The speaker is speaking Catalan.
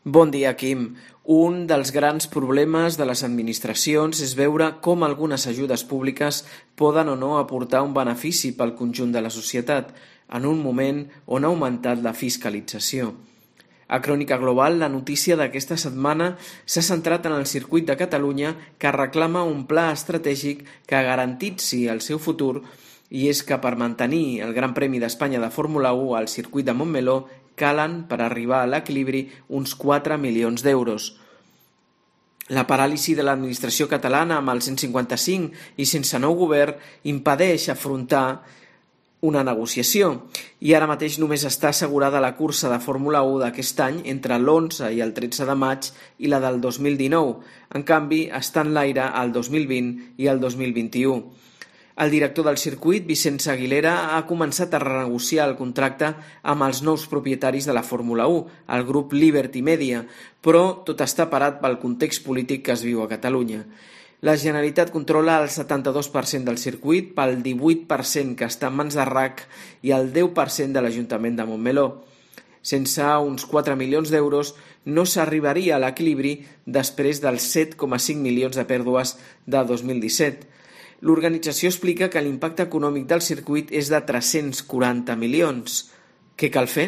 Bon dia, Quim. Un dels grans problemes de les administracions és veure com algunes ajudes públiques poden o no aportar un benefici pel conjunt de la societat, en un moment on ha augmentat la fiscalització. A Crònica Global, la notícia d'aquesta setmana s'ha centrat en el circuit de Catalunya, que reclama un pla estratègic que garantitzi el seu futur, i és que per mantenir el Gran Premi d'Espanya de Fórmula 1 al circuit de Montmeló calen, per arribar a l'equilibri, uns 4 milions d'euros. La paràlisi de l'administració catalana amb el 155 i sense nou govern impedeix afrontar una negociació, i ara mateix només està assegurada la cursa de Fórmula 1 d'aquest any entre l'11 i el 13 de maig i la del 2019. En canvi, està en l'aire el 2020 i el 2021. El director del circuit, Vicenç Aguilera, ha començat a renegociar el contracte amb els nous propietaris de la Fórmula 1, el grup Liberty Media, però tot està parat pel context polític que es viu a Catalunya. La Generalitat controla el 72% del circuit, pel 18% que està en mans de RAC i el 10% de l'Ajuntament de Montmeló. Sense uns 4 milions d'euros no s'arribaria a l'equilibri després dels 7,5 milions de pèrdues de 2017. L'organització explica que l'impacte econòmic del circuit és de 340 milions. Què cal fer?